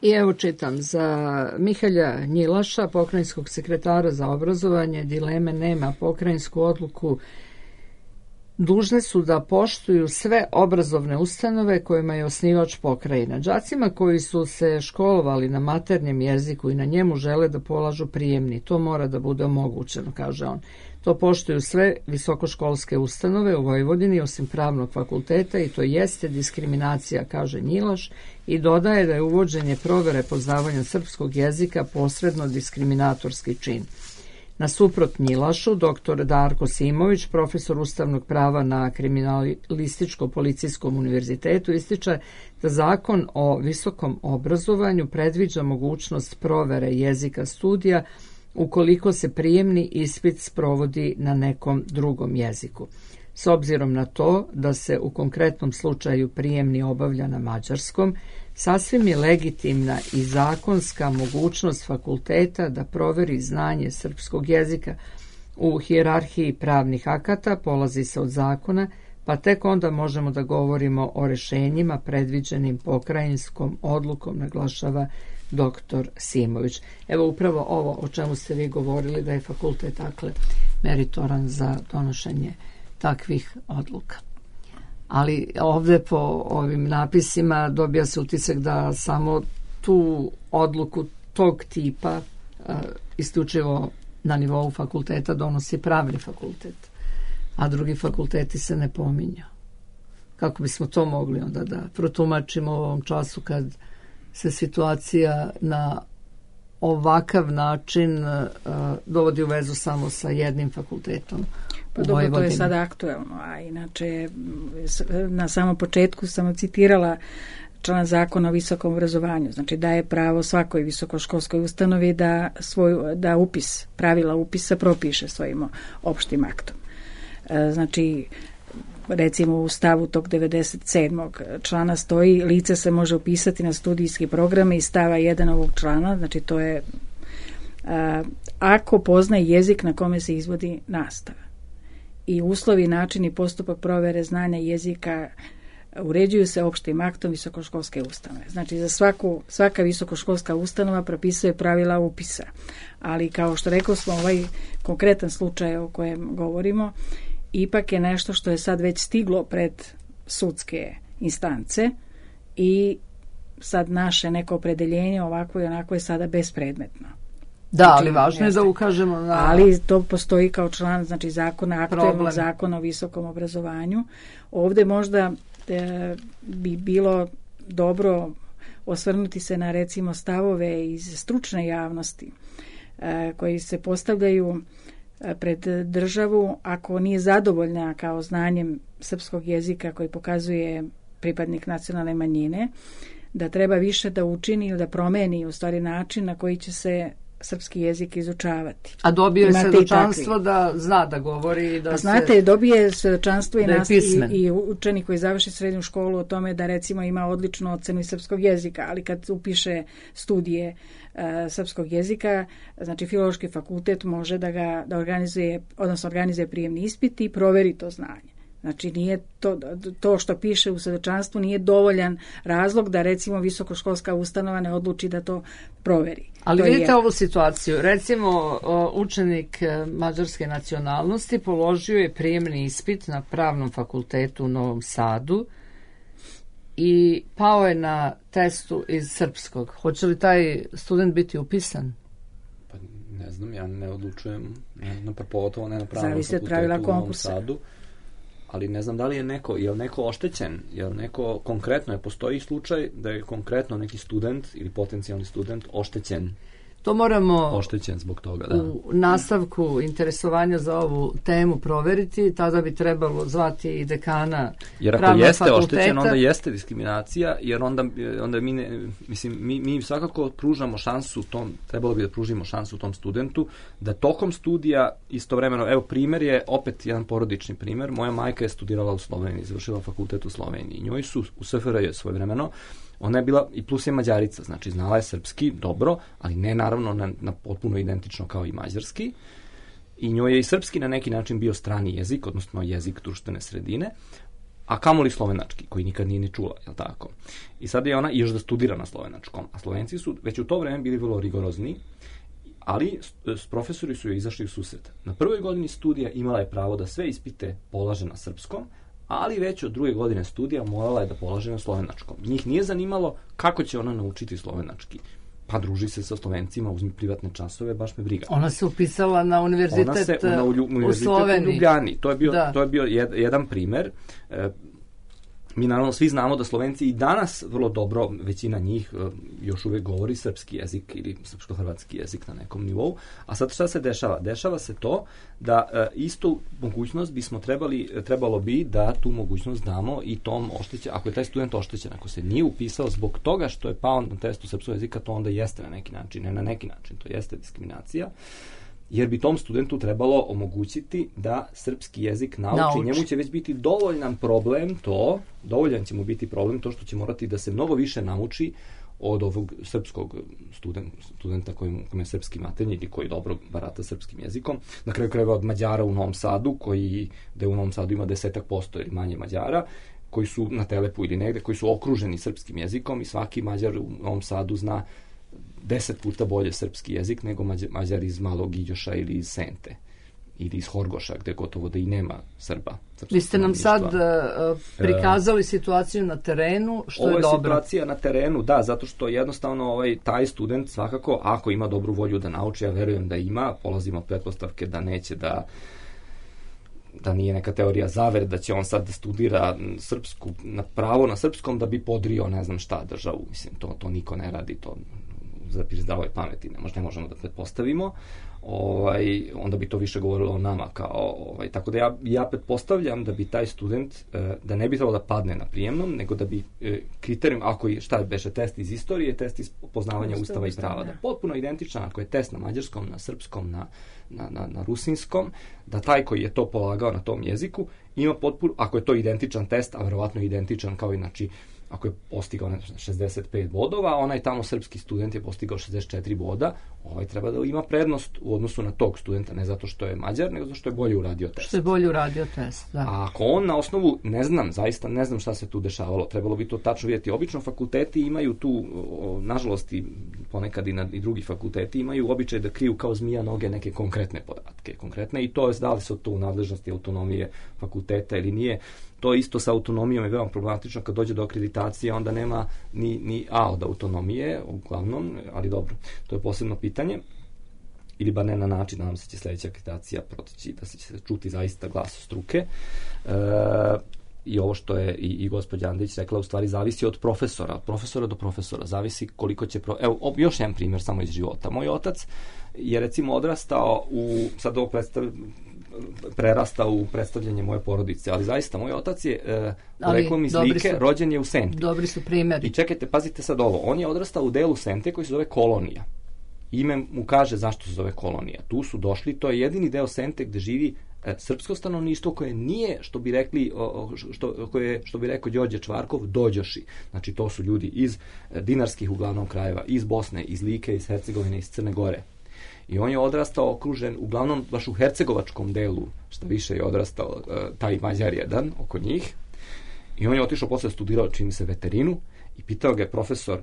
I evo čitam, za Mihalja Njilaša, pokrajinskog sekretara za obrazovanje, dileme nema. Pokrajinsku odluku dužne su da poštuju sve obrazovne ustanove kojima je osnivač pokrajina. Đacima koji su se školovali na maternjem jeziku i na njemu žele da polažu prijemni, to mora da bude omogućeno, kaže on. To poštuju sve visokoškolske ustanove u Vojvodini osim pravnog fakulteta i to jeste diskriminacija, kaže Njilaš, i dodaje da je uvođenje provere poznavanja srpskog jezika posredno diskriminatorski čin. Nasuprot Njilašu, doktor Darko Simović, profesor ustavnog prava na Kriminalističko-policijskom univerzitetu, ističe da zakon o visokom obrazovanju predviđa mogućnost provere jezika studija ukoliko se prijemni ispit sprovodi na nekom drugom jeziku. S obzirom na to da se u konkretnom slučaju prijemni obavlja na mađarskom, sasvim je legitimna i zakonska mogućnost fakulteta da proveri znanje srpskog jezika. U hijerarhiji pravnih akata polazi se od zakona, pa tek onda možemo da govorimo o rešenjima predviđenim pokrajinskom odlukom, naglašava doktor Simović. Evo upravo ovo o čemu ste vi govorili, da je fakultet dakle meritoran za donošenje takvih odluka. Ali ovdje po ovim napisima dobija se utisak da samo tu odluku tog tipa uh, isključivo na nivou fakulteta donosi pravni fakultet, a drugi fakulteti se ne pominju. Kako bismo to mogli onda da protumačimo u ovom času kad se situacija na ovakav način uh, dovodi u vezu samo sa jednim fakultetom? Pa dobro, to je sada aktuelno, a inače na samom početku sam citirala član zakona o visokom obrazovanju, znači daje pravo svakoj visokoškolskoj ustanovi da, svoj, da upis, pravila upisa propiše svojim opštim aktom. Znači, recimo u stavu tog devedeset sedmog člana stoji lice se može upisati na studijski programe iz stava jedan ovog člana, znači to je a, ako poznaje jezik na kome se izvodi nastava. I uslovi, način i postupak provere znanja jezika uređuju se opštim aktom visokoškolske ustanove. Znači za svaku, svaka visokoškolska ustanova propisuje pravila upisa. Ali kao što rekao smo, ovaj konkretan slučaj o kojem govorimo ipak je nešto što je sad već stiglo pred sudske instance i sad naše neko opredeljenje ovako i onako je sada bespredmetno. Da, znači, ali važno je da ukažemo na... Ali to postoji kao član, znači zakona, aktualnog zakona o visokom obrazovanju. Ovdje možda e, bi bilo dobro osvrnuti se na recimo stavove iz stručne javnosti e, koji se postavljaju pred državu ako nije zadovoljna kao znanjem srpskog jezika koji pokazuje pripadnik nacionalne manjine, da treba više da učini ili da promeni u stvari način na koji će se srpski jezik izučavati. A dobio je svedočanstvo da zna da govori i da A znate, se... dobije svedočanstvo i, nas, i, i učenik koji završi srednju školu o tome da recimo ima odličnu ocenu iz srpskog jezika, ali kad upiše studije uh, srpskog jezika, znači filološki fakultet može da ga da organizuje, odnosno organizuje prijemni ispit i proveri to znanje. Znači nije to, to što piše u svedočanstvu nije dovoljan razlog da recimo visokoškolska ustanova ne odluči da to proveri. Ali to vidite je... ovu situaciju. Recimo učenik mađarske nacionalnosti položio je prijemni ispit na pravnom fakultetu u Novom Sadu i pao je na testu iz srpskog. Hoće li taj student biti upisan? Pa ne znam, ja ne odlučujem, ne znam, pogotovo ne na pravnom Zavisi od fakultetu pravila u Novom konkursa. Sadu. Ali ne znam da li je neko, je li neko oštećen, je li neko konkretno, je postoji slučaj da je konkretno neki student ili potencijalni student oštećen. To moramo oštećen zbog toga, da. U nastavku interesovanja za ovu temu proveriti, tada bi trebalo zvati i dekana jer ako pravnog jeste fakulteta. Oštećen, onda jeste diskriminacija, jer onda, onda mi, ne, mislim, mi, mi svakako pružamo šansu tom, trebalo bi da pružimo šansu tom studentu, da tokom studija istovremeno, evo primjer je opet jedan porodični primjer, moja majka je studirala u Sloveniji, završila fakultet u Sloveniji, njoj su u S F R J svojevremeno, ona je bila i plus je Mađarica, znači znala je srpski dobro, ali ne naravno na, na potpuno identično kao i mađarski. I njoj je i srpski na neki način bio strani jezik, odnosno jezik društvene sredine. a kamoli slovenački, koji nikad nije ni čula, je li tako? I sad je ona još da studira na slovenačkom, a Slovenci su već u to vreme bili vrlo rigorozni, ali s profesori su joj izašli u susret. Na prvoj godini studija imala je pravo da sve ispite polaže na srpskom, ali već od druge godine studija morala je da polaže na slovenačkom. Njih nije zanimalo kako će ona naučiti slovenački. Pa druži se sa Slovencima, uzmi privatne časove, baš me briga. Ona se upisala na univerzitet, ona se, na, u, u Sloveniji. U Ljubljani. To je bio, da. to je bio jed, jedan primer. E, mi naravno svi znamo da Slovenci i danas vrlo dobro, većina njih e, još uvek govori srpski jezik ili srpsko-hrvatski jezik na nekom nivou. A sad šta se dešava? Dešava se to da e, istu mogućnost bismo trebali, trebalo bi da tu mogućnost damo i tom oštećen, ako je taj student oštećen, ako se nije upisao zbog toga što je pao na testu srpskog jezika, to onda jeste na neki način, ne na neki način, to jeste diskriminacija, jer bi tom studentu trebalo omogućiti da srpski jezik nauči. nauči. Njemu će već biti dovoljan problem to, dovoljan će mu biti problem to što će morati da se mnogo više nauči od ovog srpskog student, studenta koji je srpski maternji ili koji dobro barata srpskim jezikom. Na kraju krajeva od Mađara u Novom Sadu, koji, da u Novom Sadu ima desetak posto ili manje Mađara, koji su na Telepu ili negde, koji su okruženi srpskim jezikom i svaki Mađar u Novom Sadu zna deset puta bolje srpski jezik nego Mađar iz Malog Iđoša ili iz Sente ili iz Horgoša, gde gotovo da i nema Srba. Vi ste nam sad uh, prikazali situaciju na terenu, što Ovo je dobro. Ovo je situacija na terenu, da, zato što jednostavno ovaj, taj student svakako, ako ima dobru volju da nauči, ja verujem da ima, polazimo od pretpostavke da neće da da nije neka teorija zavere, da će on sad da studira srpsku, na pravo na srpskom da bi podrio ne znam šta državu. Mislim, to, to niko ne radi, to za zdravoj pameti ne, ne možemo da pretpostavimo. Ovaj, onda bi to više govorilo o nama kao, ovaj, tako da ja, ja pretpostavljam da bi taj student eh, da ne bi trebalo da padne na prijemnom, nego da bi eh, kriterijum, ako je, šta beše test iz istorije, test iz poznavanja Ustav, ustava i prava, da potpuno identičan, ako je test na mađarskom, na srpskom, na, na, na, na rusinskom, da taj koji je to polagao na tom jeziku ima potpuno, ako je to identičan test, a verovatno identičan kao i, znači, ako je postigao šezdeset pet bodova, onaj tamo srpski student je postigao šezdeset četiri boda, ovaj treba da ima prednost u odnosu na tog studenta, ne zato što je Mađar, nego zato što je bolje uradio test. Što je bolje uradio test, da. A ako on na osnovu, ne znam, zaista ne znam šta se tu dešavalo, trebalo bi to tačno vidjeti. Obično fakulteti imaju tu, nažalost i ponekad i, na, i drugi fakulteti imaju običaj da kriju kao zmija noge neke konkretne podatke, konkretne, i to je da li se to u nadležnosti autonomije fakulteta ili nije. To isto sa autonomijom je veoma problematično, kad dođe do akreditacije, onda nema ni, ni A od autonomije, uglavnom, ali dobro, to je posebno pitanje, ili bar ne na način, nadam se će sledeća akreditacija proteći, da se će čuti zaista glas struke. E, I ovo što je i, i gospođa Andrić rekla, u stvari zavisi od profesora, od profesora do profesora, zavisi koliko će... Pro... Evo, još jedan primjer samo iz života. Moj otac je recimo odrastao u, sad ovo predstav, prerastao u predstavljanje moje porodice, ali zaista moj otac je e, poreklom iz Like, rođen je u Senti. Dobri su primjeri. I čekajte, pazite sad ovo, on je odrastao u delu Sente koji se zove Kolonija. Ime mu kaže zašto se zove Kolonija. Tu su došli, to je jedini deo Sente gde živi e, srpsko stanovništvo koje nije, što bi rekli, o, što, koje, što bi rekao Đorđe Čvarkov, dođoši. Znači to su ljudi iz e, dinarskih uglavnom krajeva, iz Bosne, iz Like, iz Hercegovine, iz Crne Gore. I on je odrastao okružen, uglavnom baš u hercegovačkom delu, što više je odrastao e, taj Mađar jedan oko njih. I on je otišao posle, studirao, čini se, veterinu, i pitao ga je profesor,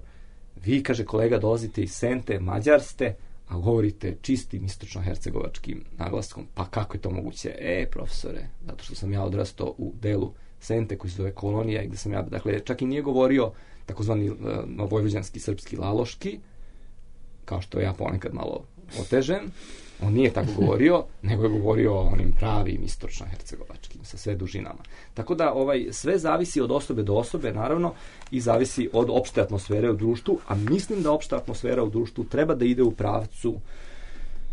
vi, kaže, kolega, dolazite iz Sente, Mađar ste, a govorite čistim istočno-hercegovačkim naglaskom. Pa kako je to moguće? E, profesore, zato što sam ja odrastao u delu Sente koji se zove Kolonija, i gde sam ja, dakle, čak i nije govorio takozvani uh, vojvođanski srpski laloški, kao što ja ponekad malo otežem. On nije tako govorio, nego je govorio o onim pravim istočno-hercegovačkim, sa sve dužinama. Tako da ovaj sve zavisi od osobe do osobe, naravno, i zavisi od opšte atmosfere u društvu, a mislim da opšta atmosfera u društvu treba da ide u pravcu,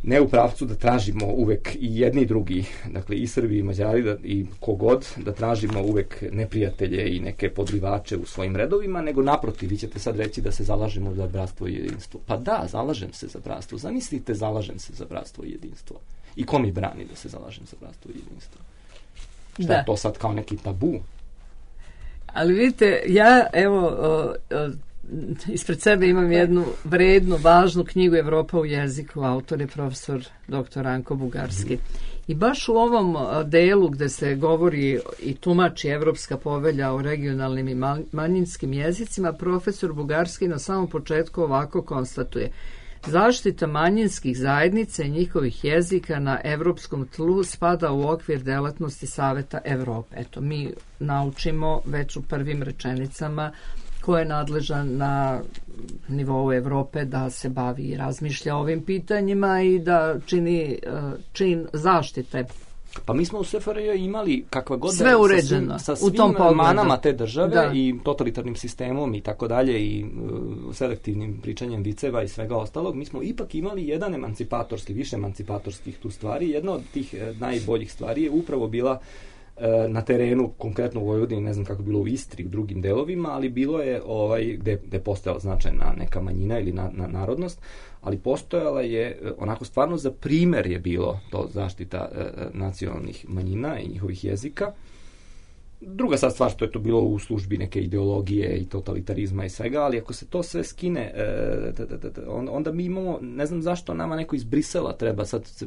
ne u pravcu da tražimo uvek i jedni i drugi, dakle i Srbi i Mađari da, i kogod, da tražimo uvek neprijatelje i neke podrivače u svojim redovima, nego naprotiv, vi ćete sad reći da se zalažemo za bratstvo i jedinstvo. Pa da, zalažem se za bratstvo. Zamislite, zalažem se za bratstvo i jedinstvo. I ko mi brani da se zalažem za bratstvo i jedinstvo? Šta da. Je to sad kao neki tabu? Ali vidite, ja evo... Uh, uh, ispred sebe imam jednu vrednu, važnu knjigu Evropa u jeziku, autor je profesor doktor Ranko Bugarski. I baš u ovom delu gde se govori i tumači Evropska povelja o regionalnim i manjinskim jezicima, profesor Bugarski na samom početku ovako konstatuje: zaštita manjinskih zajednica i njihovih jezika na evropskom tlu spada u okvir delatnosti Saveta Evrope. Eto, mi naučimo već u prvim rečenicama ko je nadležan na nivou Evrope da se bavi i razmišlja o ovim pitanjima i da čini čin zaštite. Pa mi smo u S F R J imali kakva god sve uređeno sa svim, sa u tom svim manama te države, da. I totalitarnim sistemom i tako dalje i uh, selektivnim pričanjem viceva i svega ostalog. Mi smo ipak imali jedan emancipatorski, više emancipatorskih tu stvari. Jedna od tih eh, najboljih stvari je upravo bila eh, na terenu, konkretno u Vojvodini, ne znam kako je bilo u Istri, u drugim delovima, ali bilo je ovaj, gde, gde je postojala značajna neka manjina ili na, na narodnost, ali postojala je, onako stvarno za primer je bilo to zaštita e, nacionalnih manjina i njihovih jezika. Druga sad stvar što je to bilo u službi neke ideologije i totalitarizma i svega, ali ako se to sve skine, e, t, t, t, t, onda mi imamo, ne znam zašto nama neko iz Brisela treba, sad se,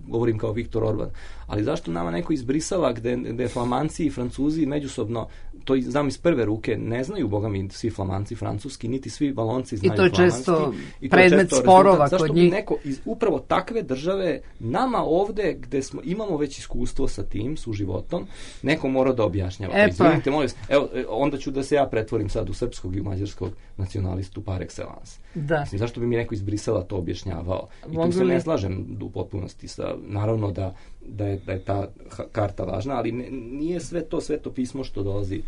govorim kao Viktor Orban, ali zašto nama neko iz Brisela gde, gde Flamanci i Francuzi međusobno, to znam iz prve ruke, ne znaju, boga mi, svi Flamanci francuski, niti svi Valonci znaju flamanski. I to je često predmet sporova kod njih. Zašto bi neko iz upravo takve države nama ovde, gde smo, imamo već iskustvo sa tim, su životom, neko mora da objašnjava. E, Izvinite, molim, evo, onda ću da se ja pretvorim sad u srpskog i mađarskog nacionalistu par excellence. Da. Mislim, zašto bi mi neko iz Brisela to objašnjavao? I Mogu tu se li... ne slažem u potpunosti sa, naravno da, da, je, da je ta karta važna, ali ne, nije sve to sveto pismo što dolazi.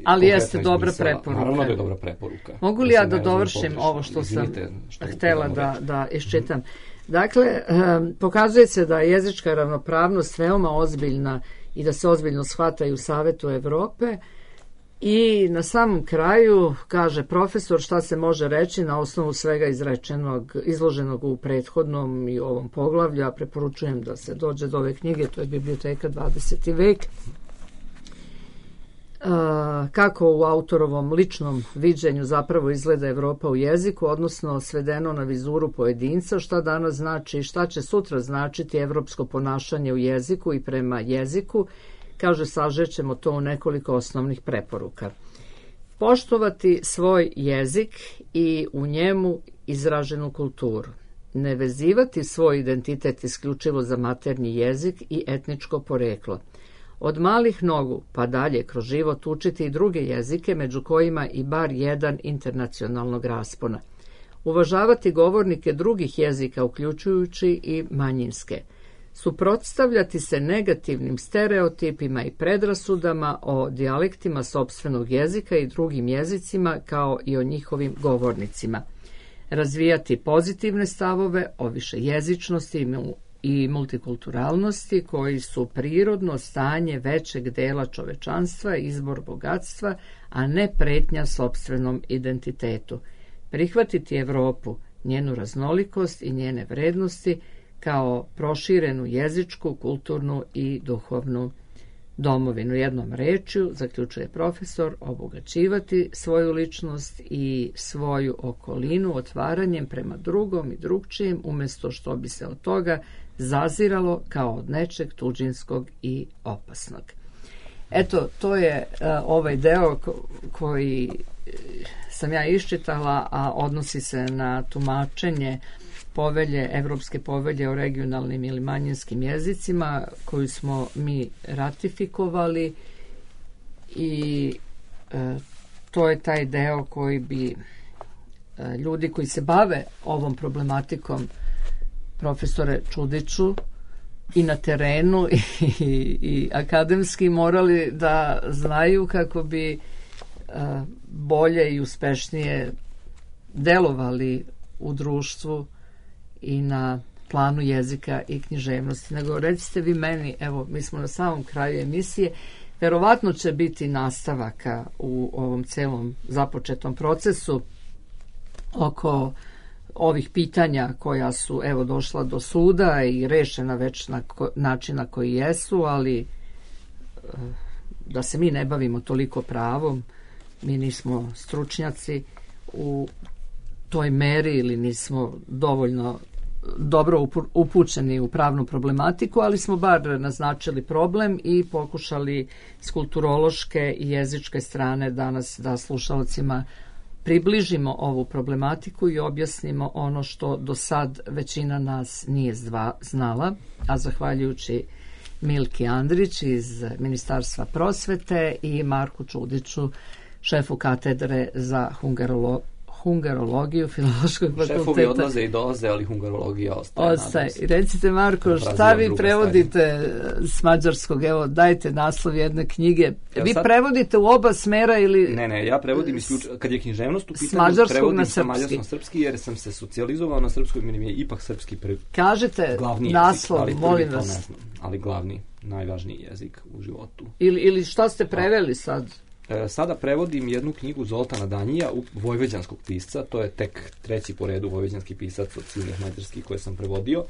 Ali jeste dobra preporuka. Naravno da je dobra preporuka. Mogu li ja da dovršim ovo što sam htela da, da iščitam? Dakle, um, pokazuje se da je jezička ravnopravnost veoma ozbiljna i da se ozbiljno shvata i u Savetu Evrope. I na samom kraju kaže profesor šta se može reći na osnovu svega izrečenog, izloženog u prethodnom i ovom poglavlju. Ja preporučujem da se dođe do ove knjige, to je Biblioteka dvadeseti vek. Kako u autorovom ličnom viđenju zapravo izgleda Evropa u jeziku, odnosno svedeno na vizuru pojedinca, šta danas znači i šta će sutra značiti evropsko ponašanje u jeziku i prema jeziku. Kaže, sažećemo to u nekoliko osnovnih preporuka. Poštovati svoj jezik i u njemu izraženu kulturu. Ne vezivati svoj identitet isključivo za maternji jezik i etničko poreklo. Od malih nogu pa dalje kroz život učiti i druge jezike, među kojima i bar jedan internacionalnog raspona. Uvažavati govornike drugih jezika, uključujući i manjinske. Suprotstavljati se negativnim stereotipima i predrasudama o dijalektima sopstvenog jezika i drugim jezicima, kao i o njihovim govornicima. Razvijati pozitivne stavove o višejezičnosti i multikulturalnosti, koji su prirodno stanje većeg dela čovečanstva, izbor bogatstva, a ne pretnja sopstvenom identitetu. Prihvatiti Evropu, njenu raznolikost i njene vrednosti, kao proširenu jezičku, kulturnu i duhovnu domovinu. Jednom rečju, zaključuje profesor, obogaćivati svoju ličnost i svoju okolinu otvaranjem prema drugom i drugčijem, umjesto što bi se od toga zaziralo kao od nečeg tuđinskog i opasnog. Eto, to je uh, ovaj deo ko, koji sam ja iščitala, a odnosi se na tumačenje povelje, Evropske povelje o regionalnim ili manjinskim jezicima, koju smo mi ratifikovali, i e, to je taj deo koji bi e, ljudi koji se bave ovom problematikom, profesore Čudiću, i na terenu i, i, i akademski, morali da znaju kako bi e, bolje i uspešnije delovali u društvu i na planu jezika i književnosti. Nego recite vi meni, evo, mi smo na samom kraju emisije, verovatno će biti nastavaka u ovom celom započetom procesu oko ovih pitanja koja su, evo, došla do suda i rešena već na ko, način na koji jesu, ali da se mi ne bavimo toliko pravom, mi nismo stručnjaci u toj meri ili nismo dovoljno dobro upu- upućeni u pravnu problematiku, ali smo bar naznačili problem i pokušali s kulturološke i jezičke strane danas da slušalcima približimo ovu problematiku i objasnimo ono što do sad većina nas nije zdva, znala, a zahvaljujući Milki Andrić iz Ministarstva prosvete i Marku Čudiću, šefu katedre za hungarolo, hungarologiju Filološkog fakulteta. Šefovi odlaze i dolaze, ali hungarologija ostaje. Ostaje. Recite, Marko, šta vi prevodite s mađarskog? Evo, dajte naslov jedne knjige. Ja vi sad... prevodite u oba smera ili... Ne, ne, ja prevodim isključivo, kad je književnost u pitanju, s mađarskog prevodim na sa srpski. mađarskom srpski, jer sam se socijalizovao na srpskoj, meni je ipak srpski prvi. Kažete glavni naslov, jezik, molim to vas. ne znam, ali glavni, najvažniji jezik u životu. Ili, ili šta ste preveli sad? E, sada prevodim jednu knjigu Zoltana Danjija, vojvođanskog pisca, to je tek treći po redu vojvođanski pisac od silnih mađarskih koje sam prevodio,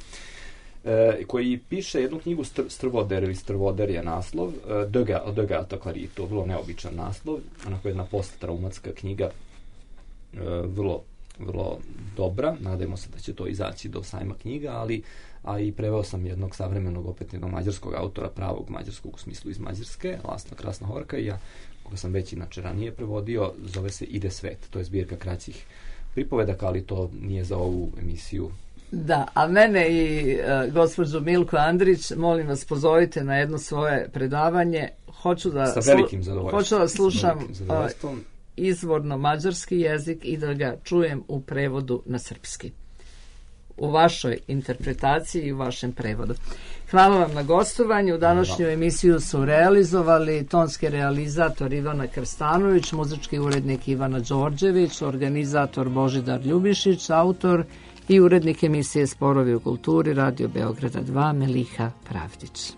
e, koji piše jednu knjigu Str, Strvoder ili Strvoder je naslov, e, Döga, Döga Takarito, vrlo neobičan naslov, onako jedna posttraumatska knjiga, e, vrlo, vrlo dobra, nadajmo se da će to izaći do sajma knjiga, ali a i preveo sam jednog savremenog, opet jednog mađarskog autora, pravog mađarskog u smislu iz Mađarske, Lasna Krasna Horka, i ja koga sam već inače ranije prevodio, zove se Ide svet. To je zbirka kraćih pripovedaka, ali to nije za ovu emisiju. Da, a mene i uh, gospođu Milku Andrić, molim vas, pozovite na jedno svoje predavanje. Hoću da, Sa velikim zadovoljstvom. Hoću da slušam uh, izvorno mađarski jezik i da ga čujem u prevodu na srpski. U vašoj interpretaciji i u vašem prevodu. Hvala vam na gostovanju. Današnju emisiju su realizovali tonski realizator Ivana Krstanović, muzički urednik Ivana Đorđević, organizator Božidar Ljubišić, autor i urednik emisije Sporovi u kulturi Radio Beograda dva Meliha Pravdić.